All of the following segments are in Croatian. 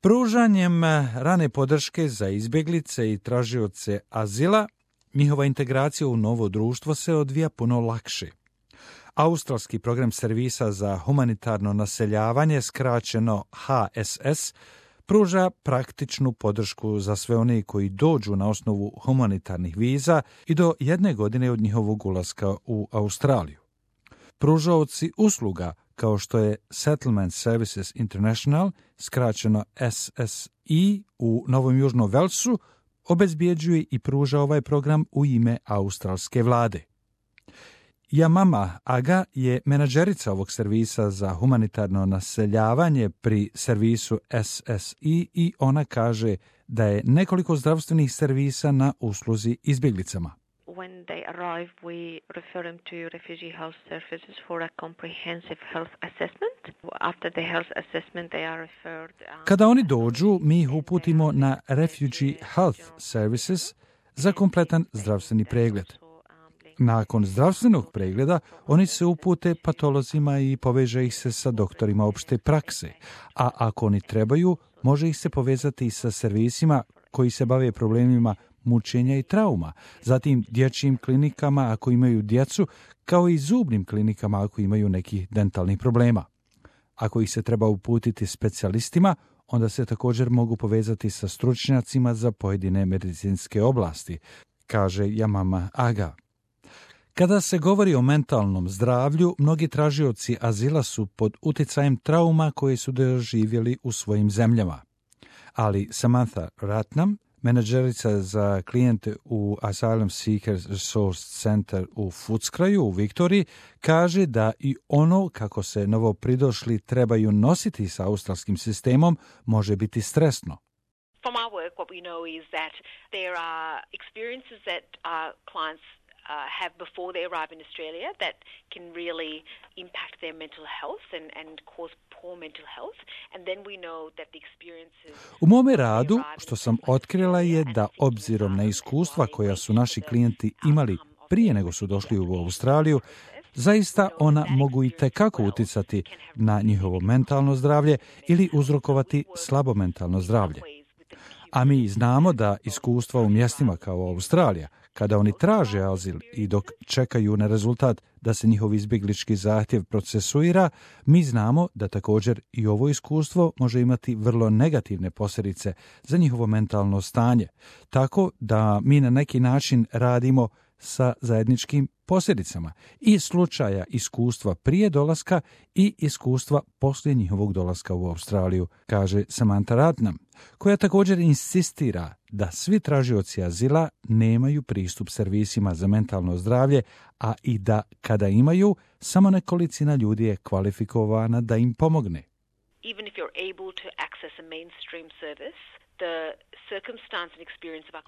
Pružanjem rane podrške za izbjeglice i tražioce azila, njihova integracija u novo društvo se odvija puno lakše. Australski program servisa za humanitarno naseljavanje, skraćeno HSS, pruža praktičnu podršku za sve one koji dođu na osnovu humanitarnih viza i do 1 godine od njihovog ulaska u Australiju. Pružaoci usluga, kao što je Settlement Services International, skraćeno SSI, u Novom Južnom Velsu, obezbjeđuje i pruža ovaj program u ime australske vlade. Yamama Aga je menadžerica ovog servisa za humanitarno naseljavanje pri servisu SSI i ona kaže da je nekoliko zdravstvenih servisa na usluzi izbjeglicama. When they arrive, we refer them to Refugee Health Services for a comprehensive health assessment. After the health assessment, they are referred... Kada oni dođu, mi ih uputimo na Refugee Health Services za kompletan zdravstveni pregled. Nakon zdravstvenog pregleda, oni se upute patolozima i poveže ih se sa doktorima opšte prakse, a ako oni trebaju, može ih se povezati i sa servisima koji se bave problemima mučenja i trauma, zatim dječjim klinikama ako imaju djecu, kao i zubnim klinikama ako imaju nekih dentalnih problema. Ako ih se treba uputiti specijalistima, onda se također mogu povezati sa stručnjacima za pojedine medicinske oblasti, kaže Yamama Aga. Kada se govori o mentalnom zdravlju, mnogi tražioci azila su pod utjecajem trauma koje su doživjeli u svojim zemljama. Ali Samantha Ratnam, menadžerica za klijente u Asylum Seekers Resource Center u Footscrayu u Viktoriji, kaže da i ono kako se novopridošli trebaju nositi sa australskim sistemom može biti stresno. From our work, what we know is that there are experiences that our clients have before they arrive in Australia that can really impact their mental health and cause poor mental health. And then we know that the experiences... U mome radu, što sam otkrila je da obzirom na iskustva koja su naši klijenti imali prije nego su došli u Australiju, zaista ona mogu i tekako utjecati na njihovo mentalno zdravlje ili uzrokovati slabo mentalno zdravlje. A mi znamo da iskustva u mjestima kao Australija, kada oni traže azil i dok čekaju na rezultat da se njihov izbjeglički zahtjev procesuira, mi znamo da također i ovo iskustvo može imati vrlo negativne posljedice za njihovo mentalno stanje, tako da mi na neki način radimo sa zajedničkim posljedicama i slučaja iskustva prije dolaska i iskustva poslije njihovog dolaska u Australiju, kaže Samantha Ratnam, koja također insistira da svi tražioci azila nemaju pristup servisima za mentalno zdravlje, a i da kada imaju, samo nekolicina ljudi je kvalifikovana da im pomogne. Even if you're able to access a mainstream service, the circumstance and experience of our...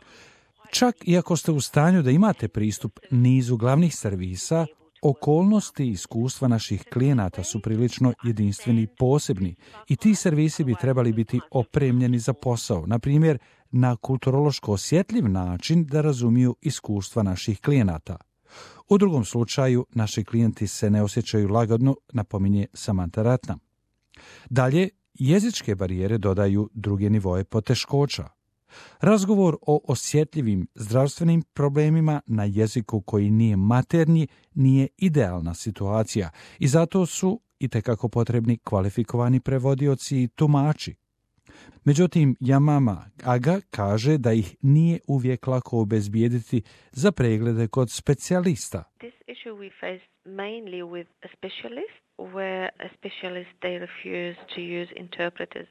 Čak i ako ste u stanju da imate pristup nizu glavnih servisa, okolnosti i iskustva naših klijenata su prilično jedinstveni i posebni i ti servisi bi trebali biti opremljeni za posao, na primjer na kulturološko osjetljiv način da razumiju iskustva naših klijenata. U drugom slučaju, naši klijenti se ne osjećaju lagodno, napominje Samantha Ratnam. Dalje, jezičke barijere dodaju druge nivoe poteškoća. Razgovor o osjetljivim zdravstvenim problemima na jeziku koji nije maternji nije idealna situacija i zato su itekako potrebni kvalifikovani prevodioci i tumači. Međutim, Yamama Aga kaže da ih nije uvijek lako obezbijediti za preglede kod specijalista. This issue we face mainly with a specialist, where a specialist they refuse to use interpreters.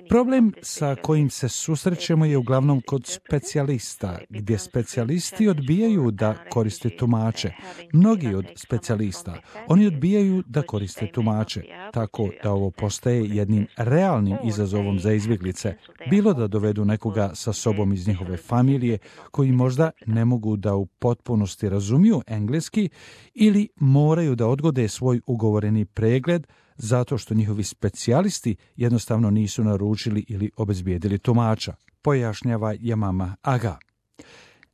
Problem sa kojim se susrećemo je uglavnom kod specijalista, gdje specijalisti odbijaju da koriste tumače. Mnogi od specijalista, oni odbijaju da koriste tumače, tako da ovo postaje jednim realnim izazovom za izbjeglice, bilo da dovedu nekoga sa sobom iz njihove familije, koji možda ne mogu da u potpunosti razumiju engleski ili moraju da odgode svoj ugovoreni pregled zato što njihovi specijalisti jednostavno nisu naručili ili obezbijedili tumača, pojašnjava Yamama Aga.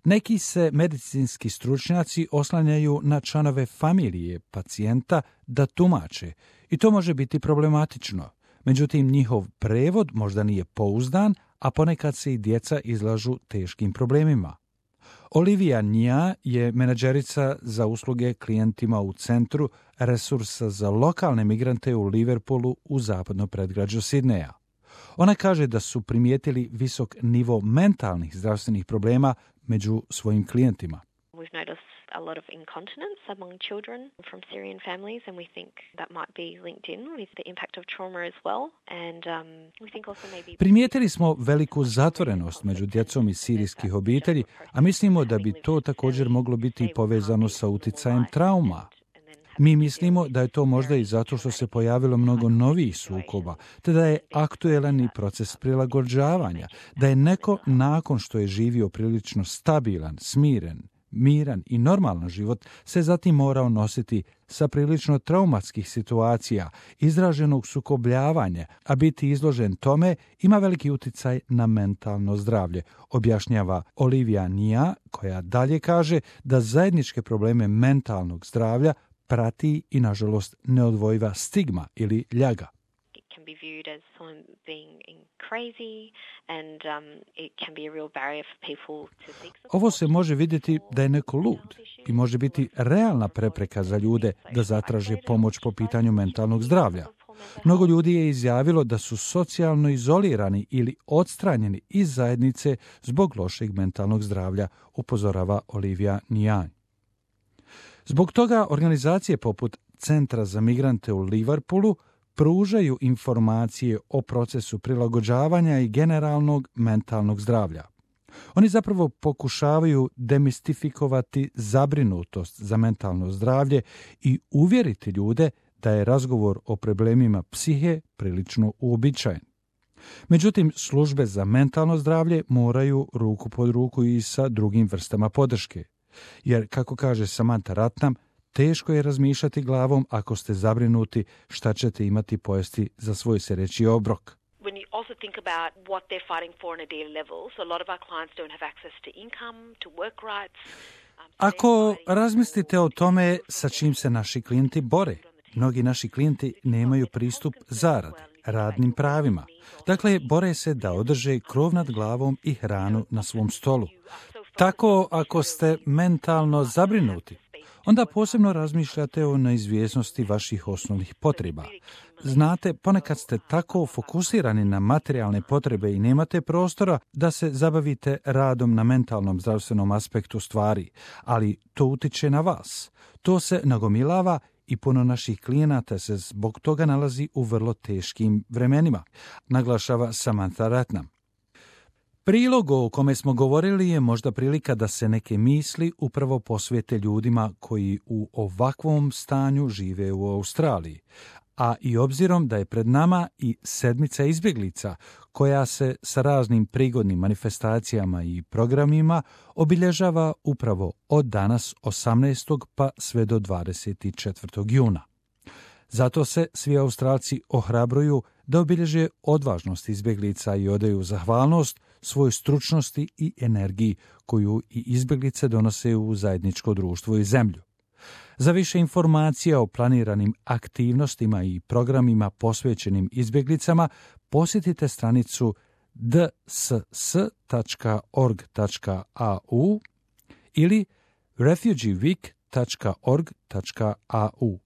Neki se medicinski stručnjaci oslanjaju na članove familije pacijenta da tumače i to može biti problematično. Međutim, njihov prevod možda nije pouzdan, a ponekad se i djeca izlažu teškim problemima. Olivia Nia je menadžerica za usluge klijentima u Centru resursa za lokalne migrante u Liverpoolu u zapadnom predgrađu Sidneja. Ona kaže da su primijetili visok nivo mentalnih zdravstvenih problema među svojim klijentima. We've noticed a lot of incontinence among children from Syrian families, and we think that might be linked in with the impact of trauma as well. And we think also maybe... Primijetili smo veliku zatvorenost među djecom iz sirijskih obitelji, a mislimo da bi to također moglo biti povezano sa uticajem trauma. Mi mislimo da je to možda i zato što se pojavilo mnogo novih sukoba, te da je aktuelan i proces prilagođavanja, da je neko nakon što je živio prilično stabilan, smiren, miran i normalan život se zatim morao nositi sa prilično traumatskih situacija, izraženog sukobljavanja, a biti izložen tome ima veliki uticaj na mentalno zdravlje, objašnjava Olivia Nia, koja dalje kaže da zajedničke probleme mentalnog zdravlja prati i, nažalost, neodvojiva stigma ili ljaga. Can be viewed as someone being crazy, and it can be a real barrier for people to seek support. Ovo se može vidjeti da je neko lud i može biti realna prepreka za ljude da zatraže pomoć po pitanju mentalnog zdravlja. Mnogo ljudi je izjavilo da su socijalno izolirani ili odstranjeni iz zajednice zbog lošeg mentalnog zdravlja, upozorava Olivia Nia. Zbog toga organizacije poput Centra za migrante u Liverpoolu pružaju informacije o procesu prilagođavanja i generalnog mentalnog zdravlja. Oni zapravo pokušavaju demistifikovati zabrinutost za mentalno zdravlje i uvjeriti ljude da je razgovor o problemima psihe prilično uobičajen. Međutim, službe za mentalno zdravlje moraju ruku pod ruku i sa drugim vrstama podrške. Jer, kako kaže Samantha Ratnam, teško je razmišljati glavom ako ste zabrinuti šta ćete imati pojesti za svoj sereći obrok. When you also think about what they're fighting for on a daily level, so a lot of our clients don't have access to income, to work rights. Ako razmislite o tome sa čim se naši klijenti bore, mnogi naši klijenti nemaju pristup zaradi, radnim pravima. Dakle, bore se da održe krov nad glavom i hranu na svom stolu. Tako, ako ste mentalno zabrinuti, onda posebno razmišljate o neizvjesnosti vaših osnovnih potreba. Znate, ponekad ste tako fokusirani na materijalne potrebe i nemate prostora da se zabavite radom na mentalnom zdravstvenom aspektu stvari, ali to utiče na vas. To se nagomilava i puno naših klijenata se zbog toga nalazi u vrlo teškim vremenima, naglašava Samantha Ratnam. Prilog o kome smo govorili je možda prilika da se neke misli upravo posvijete ljudima koji u ovakvom stanju žive u Australiji, a i obzirom da je pred nama i sedmica izbjeglica koja se sa raznim prigodnim manifestacijama i programima obilježava upravo od danas 18. pa sve do 24. juna. Zato se svi Australci ohrabruju da obilježe odvažnost izbjeglica i odaju zahvalnost svojoj stručnosti i energiji koju i izbjeglice donose u zajedničko društvo i zemlju. Za više informacija o planiranim aktivnostima i programima posvećenim izbjeglicama posjetite stranicu dss.org.au ili refugeeweek.org.au.